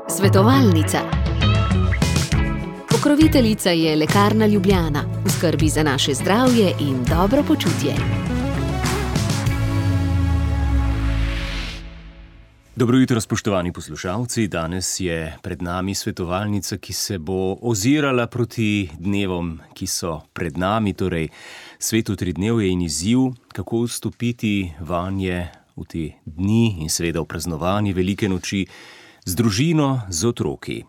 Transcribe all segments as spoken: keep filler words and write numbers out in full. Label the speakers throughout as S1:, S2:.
S1: Svetovalnica. Pokroviteljica je Lekarna Ljubljana, v skrbi za naše zdravje in dobro počutje.
S2: Dobro jutro, spoštovani poslušalci. Danes je pred nami svetovalnica, ki se bo ozirala proti dnevom, ki so pred nami, torej svetu tridnevje in izziv, kako vstopiti vanje v te dni in seveda v praznovanje velike noči z družino, z otroki.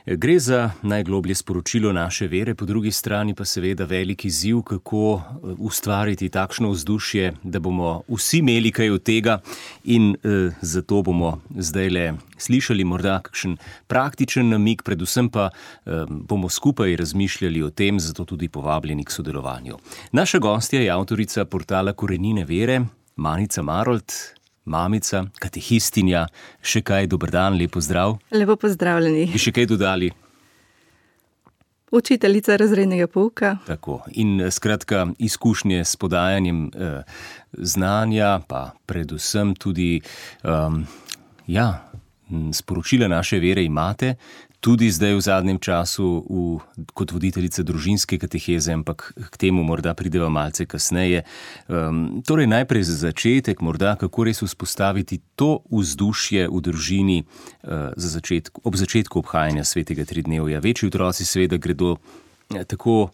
S2: Gre za najgloblje sporočilo naše vere, po drugi strani pa seveda velik izziv, kako ustvariti takšno vzdušje, da bomo vsi imeli kaj od tega in eh, zato bomo zdajle slišali morda kakšen praktičen namig, predvsem pa eh, bomo skupaj razmišljali o tem, zato tudi povabljeni k sodelovanju. Naša gostja je avtorica portala Korenine vere, Manica Marolt, mamica, katehistinja. Še kaj, dober dan, lep pozdrav.
S3: Lepo pozdravljeni.
S2: Bi še kaj dodali?
S3: Učiteljica razrednega pouka.
S2: Tako. In skratka, izkušnje s podajanjem eh, znanja, pa predvsem tudi um, ja, sporočila naše vere imate, tudi zdaj v zadnjem času v, kot voditeljica družinske kateheze, ampak k temu morda prideva malce kasneje. Um, torej najprej za začetek, morda kako res vzpostaviti to vzdušje v družini uh, za začetku, ob začetku obhajanja svetega tridnevja. Večji otroci seveda gredo eh, tako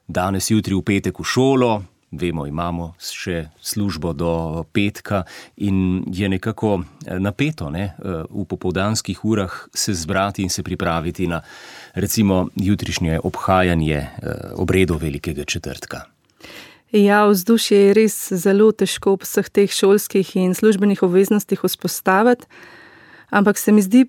S2: danes, jutri, v petek v šolo. Vemo, imamo še službo do petka in je nekako napeto, ne, v popoldanskih urah se zbrati in se pripraviti na recimo jutrišnje obhajanje obredov velikega četrtka.
S3: Ja, vzdušje je res zelo težko ob vseh teh šolskih in službenih obveznostih vzpostaviti, ampak se mi zdi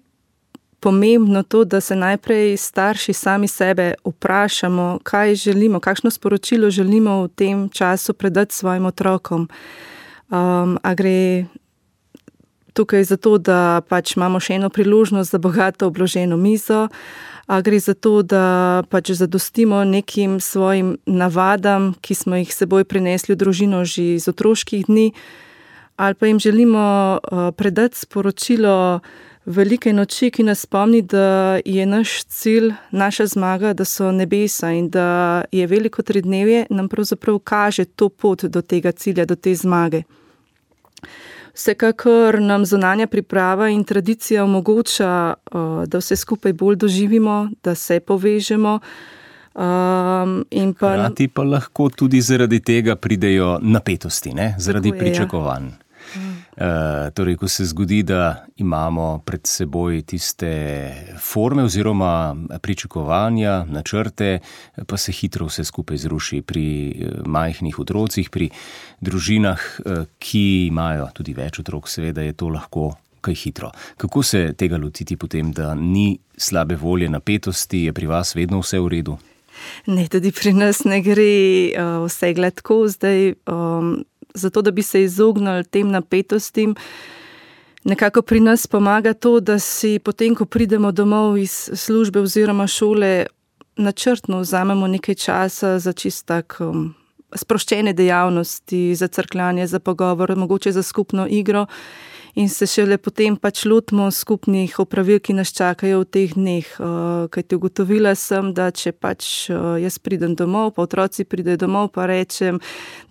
S3: pomembno to, da se najprej starši sami sebe vprašamo, kaj želimo, kakšno sporočilo želimo v tem času predati svojim otrokom. Um, a gre tukaj za to, da pač imamo še eno priložnost za bogato obloženo mizo, a gre za to, da pač zadostimo nekim svojim navadam, ki smo jih seboj prinesli v družino že iz otroških dni, ali pa jim želimo uh, predati sporočilo velike noči, ki nas spomni, da je naš cilj, naša zmaga, da so nebesa in da je veliko tridnevje nam pravzaprav kaže to pot do tega cilja, do te zmage. Vsekakor nam zunanja priprava in tradicija omogoča, da vse skupaj bolj doživimo, da se povežemo. Um, in pa...
S2: Hrati pa lahko tudi zaradi tega pridejo napetosti, ne? Zaradi je, pričakovanj. Ja. Uh, torej, ko se zgodi, da imamo pred seboj tiste forme oziroma pričakovanja, načrte, pa se hitro vse skupaj zruši pri majhnih otrocih, pri družinah, ki imajo tudi več otrok, seveda je to lahko kaj hitro. Kako se tega lotiti potem, da ni slabe volje, napetosti, je pri vas vedno vse v redu?
S3: Ne, tudi pri nas ne gre uh, vse gladko, zdaj... Um, Zato, da bi se izognili tem napetostim, nekako pri nas pomaga to, da si potem, ko pridemo domov iz službe oziroma šole, načrtno vzamemo nekaj časa za čist tak um, sproščene dejavnosti, za crkljanje, za pogovor, mogoče za skupno igro in se šele potem pač lotimo skupnih opravil, ki nas čakajo v teh dneh. Uh, kajti ugotovila sem, da če pač uh, jaz pridem domov, pa otroci pridejo domov, pa rečem,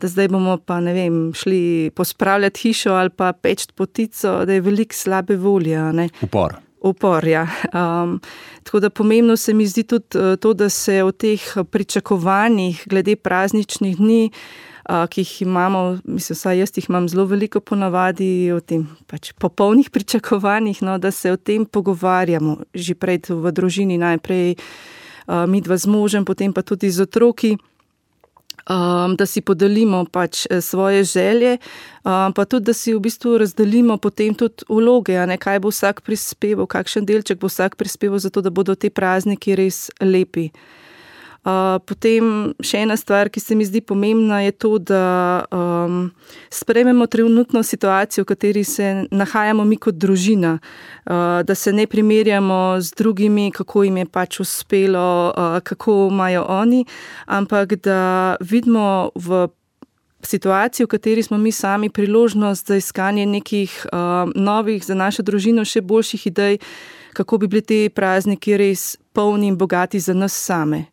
S3: da zdaj bomo pa, ne vem, šli pospravljati hišo ali pa peč potico, da je veliko slabe volje. Ne?
S2: Upor.
S3: Upor, ja. Um, tako da pomembno se mi zdi tudi to, da se o teh pričakovanjih glede prazničnih dni, Uh, ki jih imamo, mislim, vsaj jaz jih imam zelo veliko ponavadi, o tem pač popolnih pričakovanjih, no, da se o tem pogovarjamo že prej v družini, najprej uh, midva z možem, potem pa tudi z otroki, um, da si podelimo pač svoje želje, um, pa tudi, da si v bistvu razdelimo potem tudi vloge, a ne, kaj bo vsak prispeval, kakšen delček bo vsak prispeval, zato da bodo te prazniki res lepi. Uh, potem še ena stvar, ki se mi zdi pomembna, je to, da um, sprejmemo trenutno situacijo, v kateri se nahajamo mi kot družina, uh, da se ne primerjamo z drugimi, kako jim je pač uspelo, uh, kako imajo oni, ampak da vidimo v situaciji, v kateri smo mi sami, priložnost za iskanje nekih uh, novih, za našo družino še boljših idej, kako bi bili te prazniki res polni in bogati za nas same.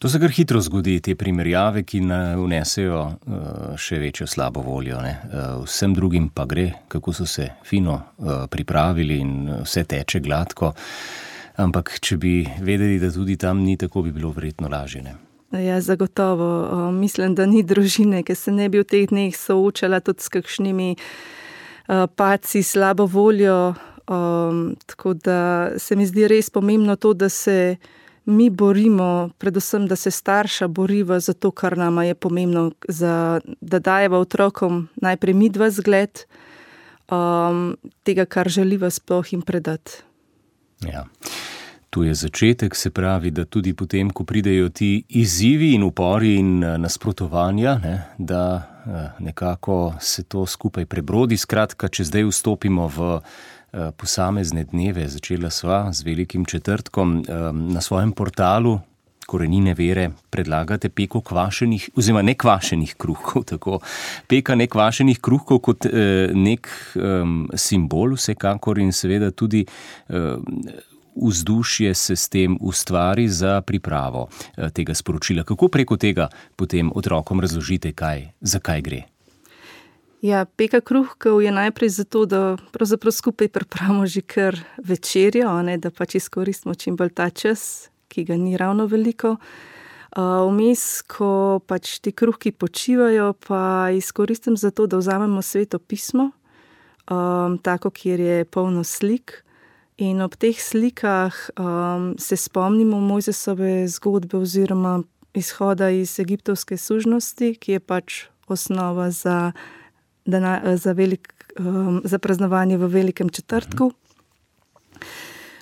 S2: To se kar hitro zgodi, te primerjave, ki vnesejo uh, še večjo slabo voljo. Ne? Uh, vsem drugim pa gre, kako so se fino uh, pripravili in vse teče gladko. Ampak če bi vedeli, da tudi tam ni, tako bi bilo verjetno lažje. Ne?
S3: Ja, zagotovo. Uh, mislim, da ni družine, ki se ne bi v teh dneh soočala tudi s kakšnimi uh, padci, slabo voljo. Um, tako da se mi zdi res pomembno to, da se mi borimo, predvsem, da se starša boriva za to, kar nama je pomembno, za, da dajeva otrokom najprej midva zgled um, tega, kar želiva sploh jim predati.
S2: Ja. Tu je začetek, se pravi, da tudi potem, ko pridejo ti izzivi in upori in nasprotovanja, ne, da nekako se to skupaj prebrodi. Skratka, če zdaj vstopimo v posamezne dneve, začela sva z velikim četrtkom, na svojem portalu Korenine vere predlagate peko kvašenih, oziroma nekvašenih kruhkov, tako. Peka nekvašenih kruhkov kot nek um, simbol vsekakor in seveda tudi um, vzdušje se s tem ustvari za pripravo tega sporočila. Kako preko tega potem otrokom razložite, kaj, zakaj gre?
S3: Ja, peka kruhkov je najprej zato, da pravzaprav skupaj pripravimo že kar večerjo, ne, da pač izkoristimo čim bolj ta čas, ki ga ni ravno veliko. Vmes, uh, ko pač ti kruhki počivajo, pa izkoristim za to, da vzamemo Sveto pismo, um, tako, kjer je polno slik. In ob teh slikah um, se spomnimo Mojzesove zgodbe oziroma izhoda iz egiptovske sužnosti, ki je pač osnova za Dana, za, velik, um, za praznovanje v velikem četrtku.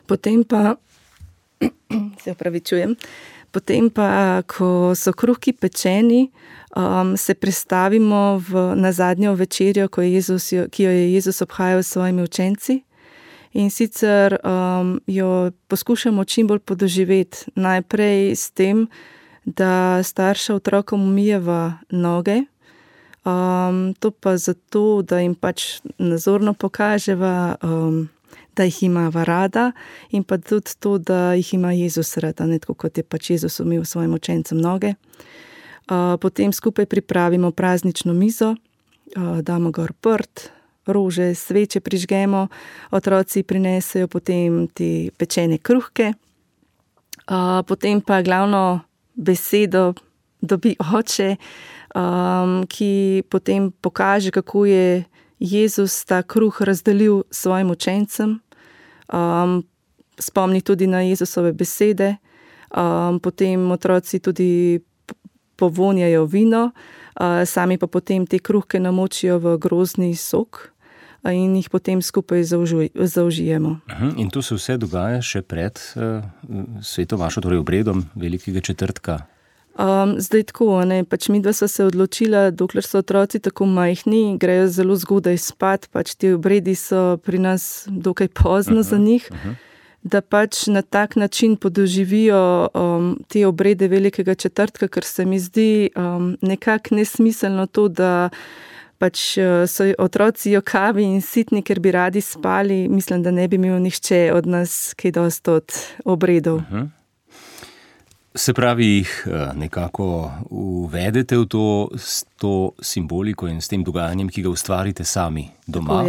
S3: Potem pa, se opravičujem, potem pa, ko so kruhki pečeni, um, se prestavimo v, na zadnjo večerjo, ko je Jezus, ki jo je Jezus obhajal s svojimi učenci. In sicer um, jo poskušamo čim bolj podoživeti. Najprej s tem, da starša otrokom umijeva noge, Um, to pa zato, da jim pač nazorno pokaževa, um, da jih imava rada in pa tudi to, da jih ima Jezus rada, ne tako kot je pač Jezus umil svojim učencem noge. Uh, potem skupaj pripravimo praznično mizo, uh, damo gor prt, rože, sveče prižgemo, otroci prinesejo potem te pečene kruhke, uh, potem pa glavno besedo dobi oče, Um, ki potem pokaže, kako je Jezus ta kruh razdelil svojim učencem. Um, spomni tudi na Jezusove besede. Um, potem otroci tudi povonjajo vino, uh, sami pa potem te kruhke namočijo v grozdni sok in jih potem skupaj zaužuj, zaužijemo.
S2: In to se vse dogaja še pred uh, sveto vašo, torej obredom velikega četrtka?
S3: Um, zdaj tako, ne, pač midva sva se odločila, dokler so otroci tako majhni, grejo zelo zgodaj spat, pač ti obredi so pri nas dokaj pozno uh-huh, za njih, uh-huh. da pač na tak način podoživijo um, te obrede velikega četrtka, ker se mi zdi um, nekako nesmiselno to, da pač so otroci jokavi in sitni, ker bi radi spali. Mislim, da ne bi imel nihče od nas kaj dosti od obredov. Uh-huh.
S2: Se pravi, jih nekako uvedete v to, s to simboliko in s tem dogajanjem, ki ga ustvarite sami doma.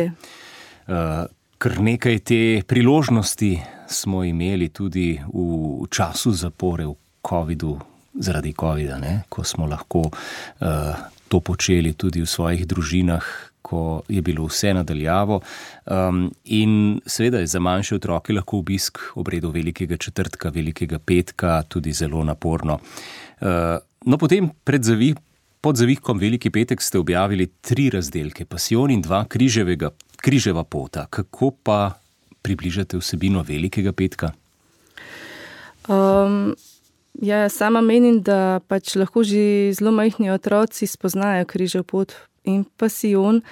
S2: Kar nekaj te priložnosti smo imeli tudi v času zapore v covidu, zaradi covida, ne? Ko smo lahko uh, to počeli tudi v svojih družinah, ko je bilo vse nadaljavo. Um, in seveda je za manjše otroke lahko obisk obredov velikega četrtka, velikega petka tudi zelo naporno. Uh, no, potem pred zavih, pod zavihkom Veliki petek ste objavili tri razdelke, Pasijon in dva križevega, križeva pota. Kako pa približate vsebino Velikega petka?
S3: Um, ja, sama menim, da pač lahko že zelo majhni otroci spoznajo križev pot in Pasijon,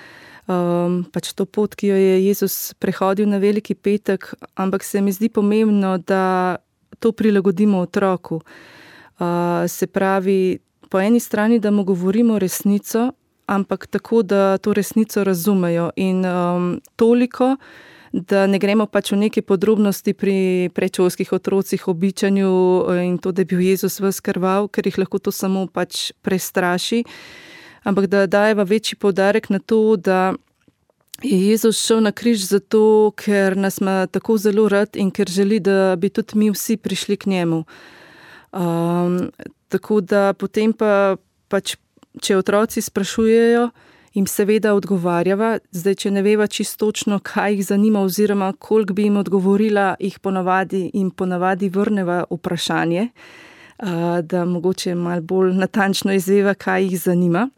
S3: um, pač to pot, ki jo je Jezus prehodil na Veliki petek, ampak se mi zdi pomembno, da to prilagodimo otroku. Uh, se pravi, po eni strani, da mu govorimo resnico, ampak tako, da to resnico razumejo in um, toliko, da ne gremo pač v neke podrobnosti pri predšolskih otrocih, običanju in to, da je bil Jezus ves krvav, ker jih lahko to samo pač prestraši, ampak da dajeva večji poudarek na to, da je Jezus šel na križ zato, ker nas ima tako zelo rad in ker želi, da bi tudi mi vsi prišli k njemu. Um, tako da potem pa pač, če otroci sprašujejo, jim seveda odgovarjava. Zdaj, če ne veva čisto točno, kaj jih zanima oziroma koliko bi jim odgovorila, jih ponavadi in ponavadi vrneva vprašanje, da mogoče malo bolj natančno izveva, kaj jih zanima.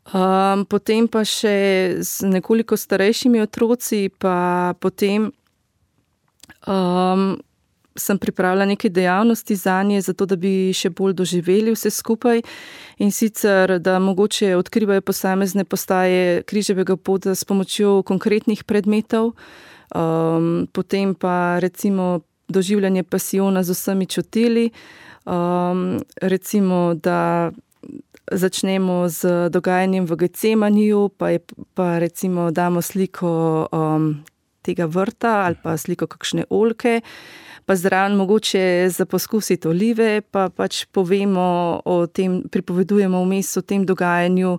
S3: Um, potem pa še z nekoliko starejšimi otroci, pa potem um, sem pripravila neke dejavnosti zanje, zato da bi še bolj doživeli vse skupaj in sicer, da mogoče odkrivajo posamezne postaje križevega pota s pomočjo konkretnih predmetov, um, potem pa recimo doživljanje pasijona z vsemi čutili, um, recimo, da začnemo z dogajanjem v Getsemaniju, pa, je, pa recimo damo sliko um, tega vrta ali pa sliko kakšne oljke, pa zraven mogoče za poskusiti olive, pa pač povemo o tem, pripovedujemo vmes o tem dogajanju,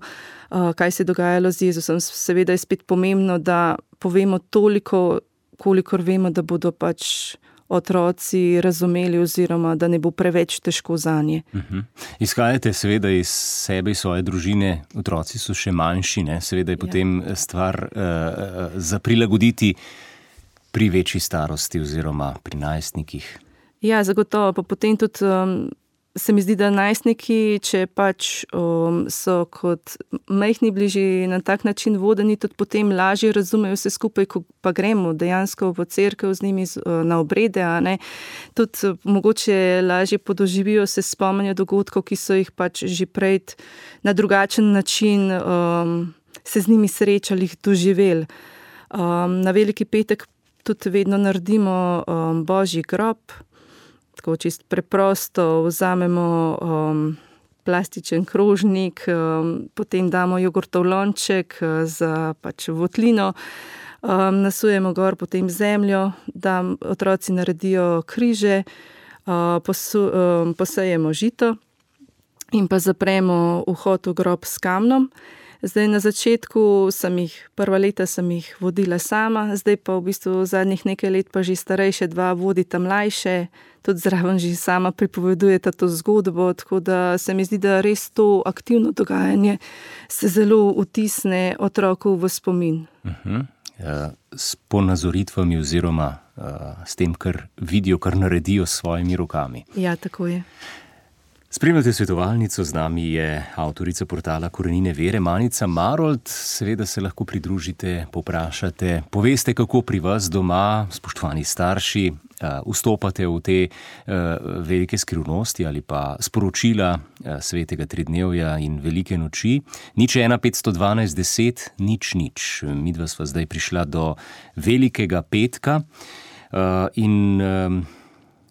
S3: kaj se je dogajalo z Jezusom. Seveda je spet pomembno, da povemo toliko, kolikor vemo, da bodo pač otroci razumeli oziroma da ne bo preveč težko zanje. Uh-huh.
S2: Izhajate seveda iz sebe, iz svoje družine, otroci so še manjši, ne? Seveda je ja. potem stvar uh, za prilagoditi pri večji starosti oziroma pri najstnikih.
S3: Ja, zagotovo. Pa potem tudi um, se mi zdi, da najstniki, če pač um, so kot majhni bližji na tak način vodeni, tudi potem lažje razumejo vse skupaj, ko pa gremo dejansko v cerkev z njimi na obrede, a ne. Tudi mogoče lažje podoživijo, se spomnijo dogodkov, ki so jih pač že prej na drugačen način um, se z njimi srečali, jih doživeli. Um, na Veliki petek tudi vedno naredimo um, Božji grob, tako čisto preprosto vzamemo um, plastičen krožnik, um, potem damo jogurtov lonček za pač votlino, um, nasujemo gor potem zemljo, da otroci naredijo križe, uh, posu, um, posejemo žito in pa zapremo vhod v grob s kamnom. Zdaj na začetku sem jih, prva leta sem jih vodila sama, zdaj pa v bistvu zadnjih nekaj let pa že starejše dva vodita mlajše, tudi zraven že sama pripovedujeta to zgodbo, tako da se mi zdi, da res to aktivno dogajanje se zelo vtisne otroku v spomin.
S2: Uh-huh. Ja, s ponazoritvami oziroma uh, s tem, kar vidijo, kar naredijo s svojimi rokami.
S3: Ja, tako je.
S2: Spremljate svetovalnico, z nami je avtorica portala Korenine vere, Manica Marolt. Seveda se lahko pridružite, poprašate, poveste, kako pri vas doma, spoštovani starši, vstopate v te velike skrivnosti ali pa sporočila svetega tridnevja in velike noči. Nič ena petsto dvanajst deset, nič nič. Midva sva zdaj prišla do velikega petka in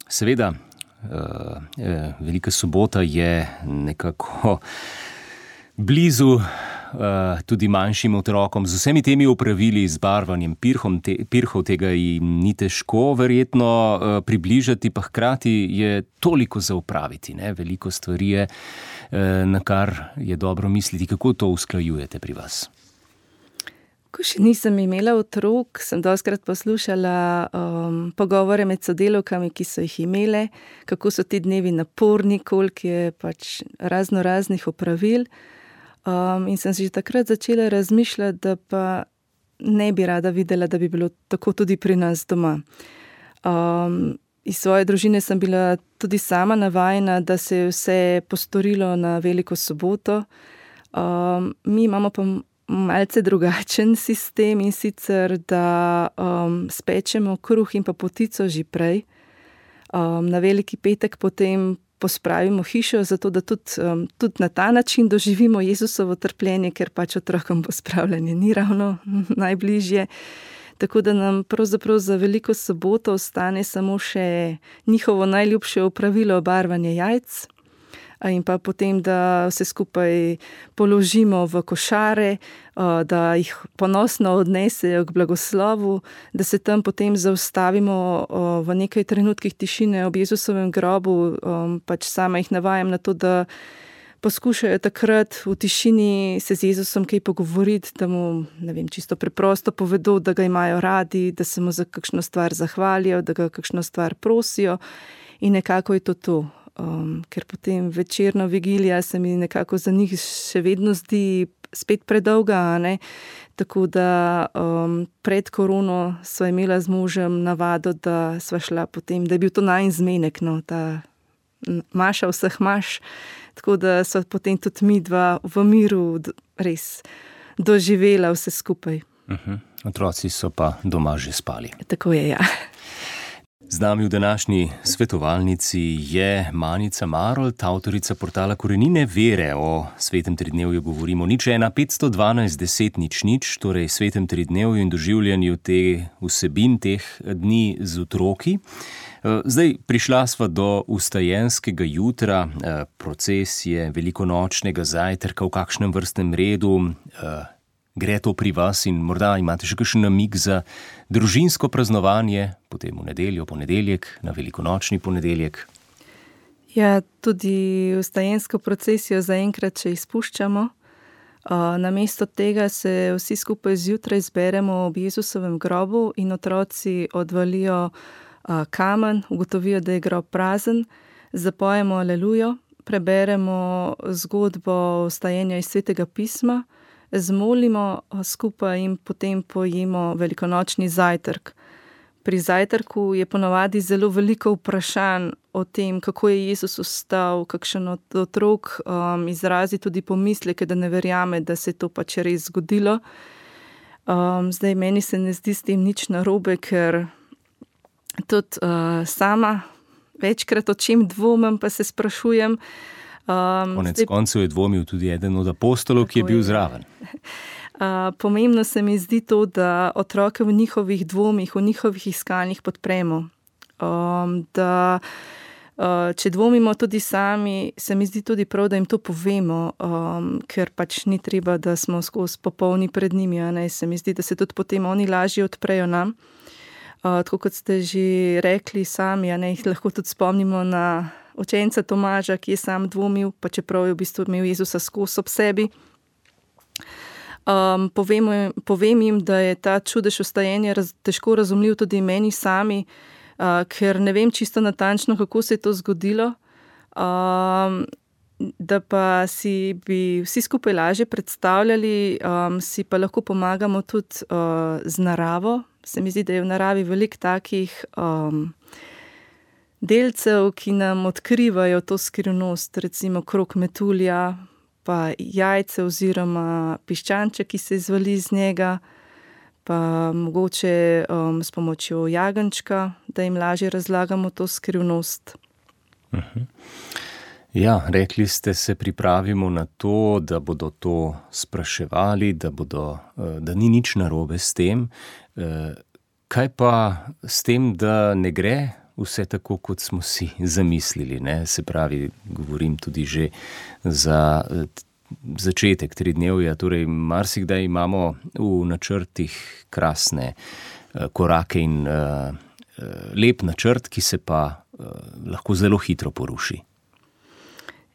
S2: seveda Uh, eh, Velika sobota je nekako blizu uh, tudi manjšim otrokom, z vsemi temi opravili, z barvanjem pirhom, te, pirhov, tega jim ni težko verjetno uh, približati, pa hkrati je toliko za opraviti, ne? Veliko stvari je, uh, na kar je dobro misliti. Kako to usklajujete pri vas?
S3: Ko še nisem imela otrok, sem dostikrat poslušala um, pogovore med sodelavkami, ki so jih imele, kako so ti dnevi naporni, koliko je pač razno raznih opravil. Um, in sem že takrat začela razmišljati, da pa ne bi rada videla, da bi bilo tako tudi pri nas doma. Um, iz svoje družine sem bila tudi sama navajena, da se je vse postorilo na Veliko soboto. Um, mi imamo pa malce drugačen sistem in sicer, da um, spečemo kruh in pa potico že prej. Um, na Veliki petek potem pospravimo hišo, zato da tudi, um, tudi na ta način doživimo Jezusovo trpljenje, ker pač otrokom pospravljanje ni ravno najbližje. Tako da nam pravzaprav za Veliko soboto ostane samo še njihovo najljubše opravilo barvanje jajc. in pa potem, da vse skupaj položimo v košare, da jih ponosno odnesejo k blagoslovu, da se tam potem zaustavimo v nekaj trenutkih tišine ob Jezusovem grobu, pač sama jih navajam na to, da poskušajo takrat v tišini se z Jezusom kaj pogovoriti, da mu, ne vem, čisto preprosto povedo, da ga imajo radi, da se mu za kakšno stvar zahvalijo, da ga kakšno stvar prosijo in nekako je to to. Um, ker potem večerna vigilija se mi nekako za njih še vedno zdi spet predolga, ne? Tako da um, pred korono sva imela z možem navado, da sva šla potem, da je bil to najin zmenek, no, ta maša vseh maš, tako da sva potem tudi mi dva v miru res doživela vse skupaj.
S2: Uh-huh. Otroci so pa doma že spali.
S3: Tako je, ja.
S2: Z nami v današnji svetovalnici je Manica Marolt, avtorica portala Korenine vere. O svetem tridnevju govorimo nič ena petsto dvanajst deset nič nič, torej svetem tridnevju in doživljanju te vsebin teh dni z otroki. Zdaj, prišla sva do vstajenskega jutra, procesije velikonočnega zajtrka, v kakšnem vrstnem redu gre to pri vas in morda imate še kakšen namig za družinsko praznovanje, potem v nedeljo, ponedeljek, na velikonočni ponedeljek?
S3: Ja, tudi vstajensko procesijo zaenkrat še izpuščamo. Namesto tega se vsi skupaj zjutraj zberemo ob Jezusovem grobu in otroci odvalijo kamen, ugotovijo, da je grob prazen, zapojemo alelujo, preberemo zgodbo vstajenja iz Svetega pisma, zmolimo skupaj in potem pojemo velikonočni zajtrk. Pri zajtrku je ponavadi zelo veliko vprašanj o tem, kako je Jezus vstal, kakšen od otrok um, izrazi tudi pomisleke, da ne verjame, da se je to pač res zgodilo. Um, zdaj, meni se ne zdi s tem nič narobe, ker tudi uh, sama večkrat o čem dvomim, pa se sprašujem. Um,
S2: Konec
S3: zdaj,
S2: koncev je dvomil tudi eden od apostolov, ki je bil zraven.
S3: Uh, pomembno se mi zdi to, da otroke v njihovih dvomih, v njihovih iskanjih podpremo. Um, da, uh, če dvomimo tudi sami, se mi zdi tudi prav, da jim to povemo, um, ker pač ni treba, da smo skozi popolni pred njimi. Ne? Se mi zdi, da se tudi potem oni lažje odprejo nam. Uh, tako kot ste že rekli sami, ne, jih lahko tudi spomnimo na učenca Tomaža, ki je sam dvomil, pa čeprav je v bistvu imel Jezusa skozi ob sebi. Um, povem, povem jim, da je ta čudež vstajenja raz, težko razumljiv tudi meni sami, uh, ker ne vem čisto natančno, kako se je to zgodilo, um, da pa si bi vsi skupaj lažje predstavljali, um, si pa lahko pomagamo tudi uh, z naravo. Se mi zdi, da je v naravi veliko takih um, delcev, ki nam odkrivajo to skrivnost, recimo krog metulja, pa jajce oziroma piščanček, ki se izvali iz njega, pa mogoče um, s pomočjo jagenjčka, da jim lažje razlagamo to skrivnost.
S2: Uh-huh. Ja, rekli ste, se pripravimo na to, da bodo to spraševali, da, bodo, da ni nič narobe s tem. Kaj pa s tem, da ne gre vse tako, kot smo si zamislili, ne? Se pravi, govorim tudi že za začetek tridnevja, torej marsikdaj imamo v načrtih krasne korake in lep načrt, ki se pa lahko zelo hitro poruši.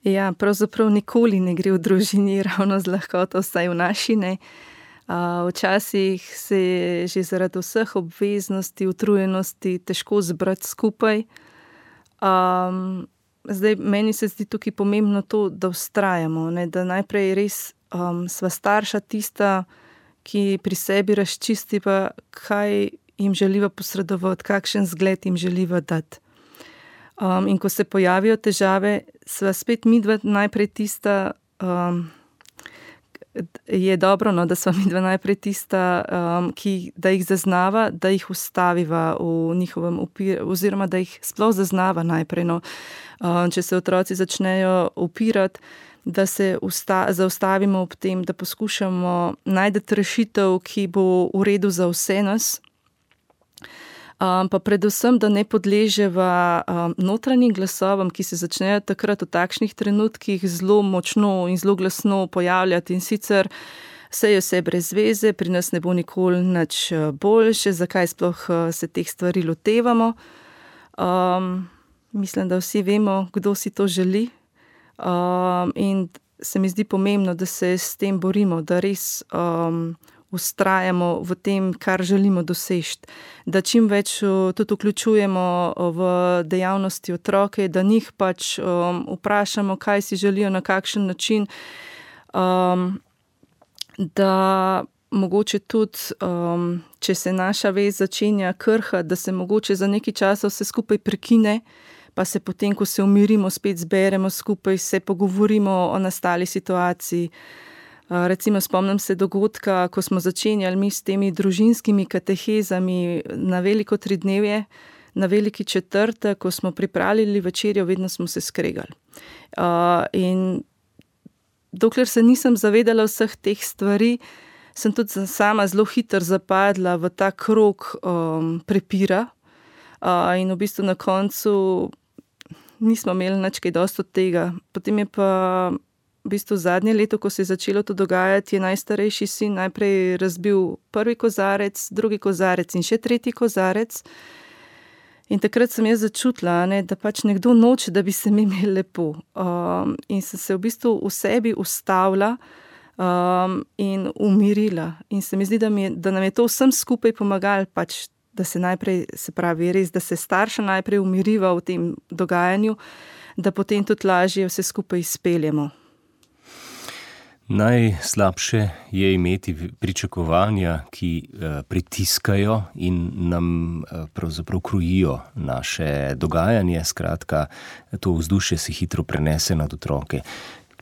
S3: Ja, pravzaprav nikoli ne gre v družini ravno z lahkoto, vsaj v naši ne. Uh, včasih se je že zaradi vseh obveznosti, utrujenosti težko zbrati skupaj. Um, zdaj, meni se zdi tukaj pomembno to, da vztrajamo, ne, da najprej res um, sva starša tista, ki pri sebi razčisti pa, kaj jim želiva posredovati, kakšen zgled jim želiva dati. Um, in ko se pojavijo težave, sva spet midva najprej tista, um, je dobro, no, da sva midva najprej tista, um, ki, da jih zaznava, da jih ustaviva v njihovem upiranju, oziroma da jih sploh zaznava najprej. No. Um, če se otroci začnejo upirati, da se usta, zaustavimo ob tem, da poskušamo najti rešitev, ki bo v redu za vse nas. Um, pa predvsem, da ne podleževa um, notranjim glasovom, ki se začnejo takrat v takšnih trenutkih zelo močno in zelo glasno pojavljati in sicer vse je vse brez veze, pri nas ne bo nikoli nič boljše, zakaj sploh se teh stvari lotevamo. Um, mislim, da vsi vemo, kdo si to želi. Um, in se mi zdi pomembno, da se s tem borimo, da res um, ustrajamo v tem, kar želimo doseči, da čim več uh, tudi vključujemo v dejavnosti otroke, da njih pač um, vprašamo, kaj si želijo, na kakšen način, um, da mogoče tudi, um, če se naša vez začenja krhati, da se mogoče za nekaj časa vse skupaj prekine, pa se potem, ko se umirimo, spet zberemo skupaj, se pogovorimo o nastali situaciji. Uh, recimo spomnim se dogodka, ko smo začenjali mi s temi družinskimi katehezami na veliko tridnevje, na veliki četrtek, ko smo pripravili večerjo, vedno smo se skregali. Uh, in dokler se nisem zavedala vseh teh stvari, sem tudi sama zelo hitro zapadla v ta krog um, prepira uh, in v bistvu na koncu nismo imeli nič kaj dosti od tega. Potem je pa v bistvu zadnje leto, ko se je začelo to dogajati, je najstarejši sin najprej razbil prvi kozarec, drugi kozarec in še tretji kozarec. In takrat sem jaz začutila, ne, da pač nekdo noče, da bi se mi imeli lepo. Um, in sem se v bistvu v sebi ustavila um, in umirila. In se mi zdi, da, mi, da nam je to vsem skupaj pomagalo, pač, da se najprej, se pravi res, da se starša najprej umiriva v tem dogajanju, da potem tudi lažje vse skupaj izpeljemo.
S2: Najslabše je imeti pričakovanja, ki eh, pritiskajo in nam eh, pravzaprav krojijo naše dogajanje. Skratka, to vzdušje se hitro prenese nad otroke.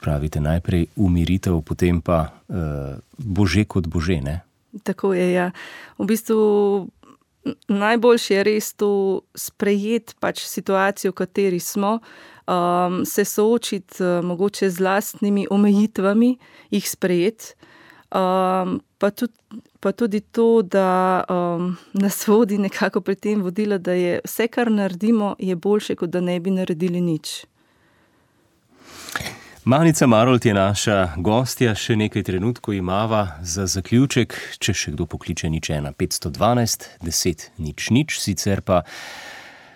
S2: Pravite, najprej umiritev, potem pa eh, bože kot bože, ne?
S3: Tako je, ja. V bistvu najboljše je res to sprejeti pač situacijo, v kateri smo, Um, se soočiti uh, mogoče z lastnimi omejitvami, jih sprejeti, um, pa, tudi, pa tudi to, da um, nas vodi nekako pri tem vodila, da je vse, kar naredimo, je boljše, kot da ne bi naredili nič.
S2: Manica Marolt je naša gostja, še nekaj trenutkov imava za zaključek, če še kdo pokliče nič ena petsto dvanajst deset nič nič, sicer pa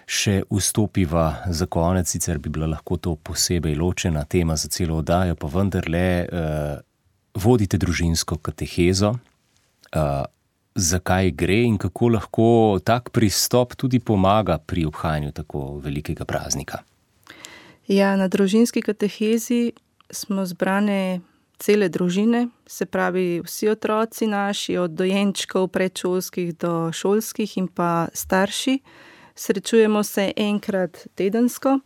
S2: še vstopiva za konec, sicer bi bila lahko to posebej ločena tema za celo oddajo, pa vendarle eh, vodite družinsko katehezo. Eh, zakaj gre in kako lahko tak pristop tudi pomaga pri obhajanju tako velikega praznika?
S3: Ja, na družinski katehezi smo zbrane cele družine, se pravi vsi otroci naši, od dojenčkov, predšolskih do šolskih in pa starši. Srečujemo se enkrat tedensko,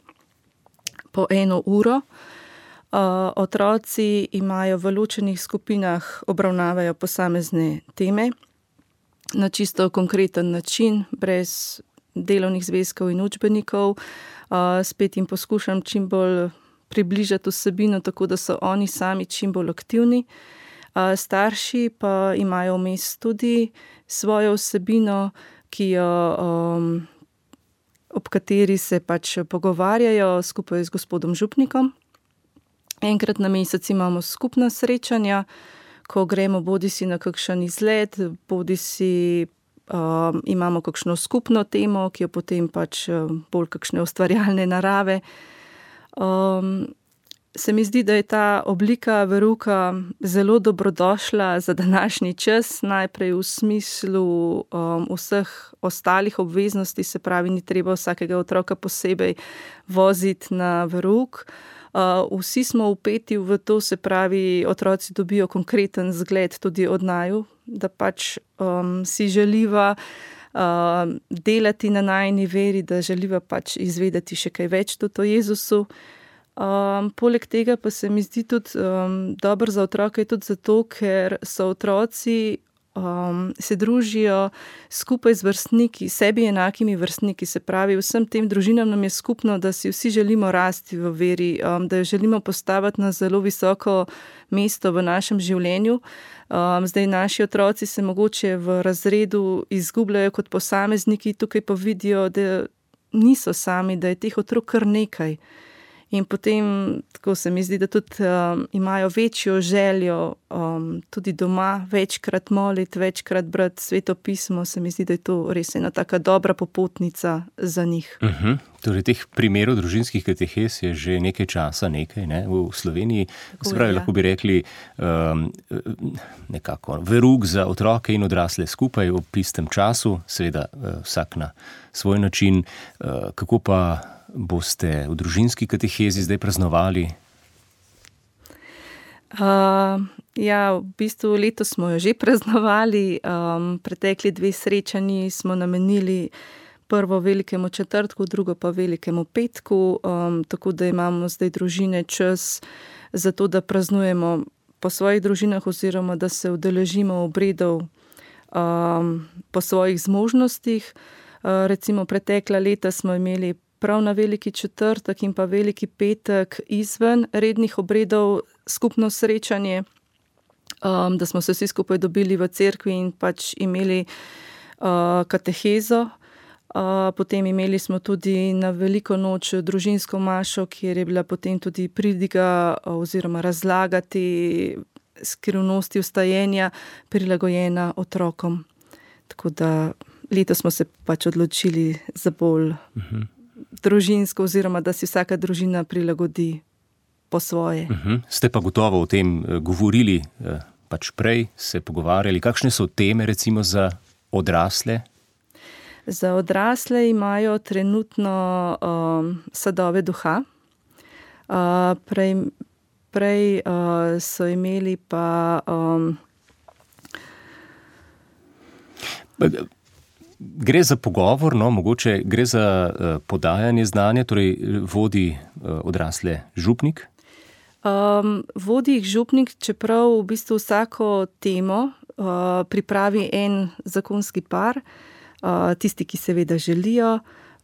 S3: po eno uro. Uh, otroci imajo v ločenih skupinah, obravnavajo posamezne teme na čisto konkreten način, brez delovnih zvezkov in učbenikov. Uh, spet jim poskušam čim bolj približati vsebino, tako da so oni sami čim bolj aktivni. Uh, starši pa imajo vmes tudi svojo vsebino, ki jo um, ob kateri se pač pogovarjajo skupaj z gospodom župnikom. Enkrat na mesec imamo skupna srečanja, ko gremo bodisi na kakšen izlet, bodisi um, imamo kakšno skupno temo, ki jo potem pač bolj kakšne ustvarjalne narave. Um, se mi zdi, da je ta oblika veruka zelo dobrodošla za današnji čas, najprej v smislu um, vseh ostalih obveznosti, se pravi, ni treba vsakega otroka posebej voziti na veruk. Uh, vsi smo vpeti v to, se pravi, otroci dobijo konkreten zgled tudi od naju, da pač um, si želiva uh, delati na najini veri, da želiva pač izvedeti še kaj več tudi o Jezusu. Um, poleg tega pa se mi zdi tudi um, dobro za otroke, tudi zato, ker so otroci um, se družijo skupaj z vrstniki, sebi enakimi vrstniki. Se pravi, vsem tem družinam nam je skupno, da si vsi želimo rasti v veri, um, da jo želimo postaviti na zelo visoko mesto v našem življenju. Um, zdaj naši otroci se mogoče v razredu izgubljajo kot posamezniki, tukaj pa vidijo, da niso sami, da je teh otrok kar nekaj. In potem, tako se mi zdi, da tudi um, imajo večjo željo um, tudi doma, večkrat moliti, večkrat brati Sveto pismo, se mi zdi, da je to res ena taka dobra popotnica za njih.
S2: Uh-huh. Torej, teh primerov družinskih katehes je že nekaj časa nekaj, ne? V Sloveniji, se pravi, lahko bi rekli um, nekako verug za otroke in odrasle skupaj ob istem času, seveda vsak na svoj način. Uh, kako pa boste v družinski katehezi zdaj praznovali?
S3: Uh, ja, v bistvu letos smo jo že praznovali. Um, pretekli dve srečanji smo namenili prvo velikemu četrtku, drugo pa velikemu petku, um, tako da imamo zdaj družine čas za to, da praznujemo po svojih družinah oziroma da se udeležimo obredov um, po svojih zmožnostih. Uh, recimo pretekla leta smo imeli prav na veliki četrtek in pa veliki petek izven rednih obredov skupno srečanje, um, da smo se vsi skupaj dobili v cerkvi in pač imeli uh, katehezo. Uh, potem imeli smo tudi na veliko noč družinsko mašo, kjer je bila potem tudi pridiga oziroma razlagati skrivnosti vstajenja prilagojena otrokom. Tako da letos smo se pač odločili za bolj uh-huh. družinsko oziroma da si vsaka družina prilagodi po svoje.
S2: Uh-huh. Ste pa gotovo o tem govorili pač prej, se pogovarjali. Kakšne so teme recimo za odrasle?
S3: Za odrasle imajo trenutno um, sadove duha. Uh, prej prej uh, so imeli pa... Um,
S2: Gre za pogovor, no, mogoče gre za uh, podajanje znanja, torej vodi uh, odrasle župnik?
S3: Um, vodi jih župnik, čeprav v bistvu vsako temo uh, pripravi en zakonski par, uh, tisti, ki seveda želijo,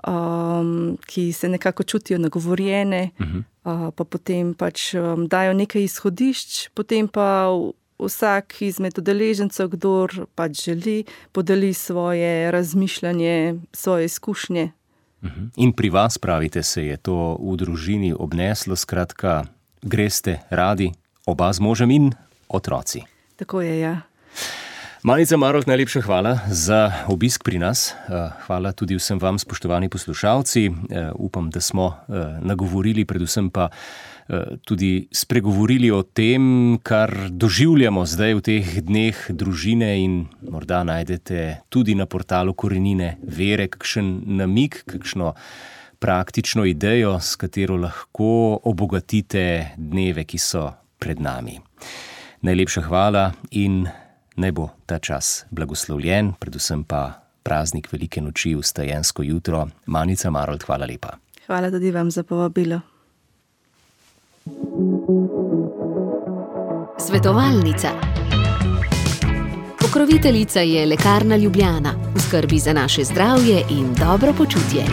S3: um, ki se nekako čutijo nagovorjene, uh-huh. uh, pa potem pač um, dajo nekaj izhodišč, potem pa vsak izmed udeležencev, kdor pač želi, podeli svoje razmišljanje, svoje izkušnje.
S2: Uh-huh. In pri vas, pravite, se je to v družini obneslo, skratka, greste radi, oba z možem in otroci.
S3: Tako je, ja.
S2: Manica Marolt, najlepša hvala za obisk pri nas. Hvala tudi vsem vam, spoštovani poslušalci. Upam, da smo nagovorili, predvsem pa tudi spregovorili o tem, kar doživljamo zdaj v teh dneh družine, in morda najdete tudi na portalu Korenine vere kakšen namig, kakšno praktično idejo, s katero lahko obogatite dneve, ki so pred nami. Najlepša hvala in naj bo ta čas blagoslovljen, predvsem pa praznik velike noči, vstajensko jutro. Manica Marolt, hvala lepa.
S3: Hvala tudi vam za povabilo.
S1: Svetovalnica. Pokroviteljica je Lekarna Ljubljana, v skrbi za naše zdravje in dobro počutje.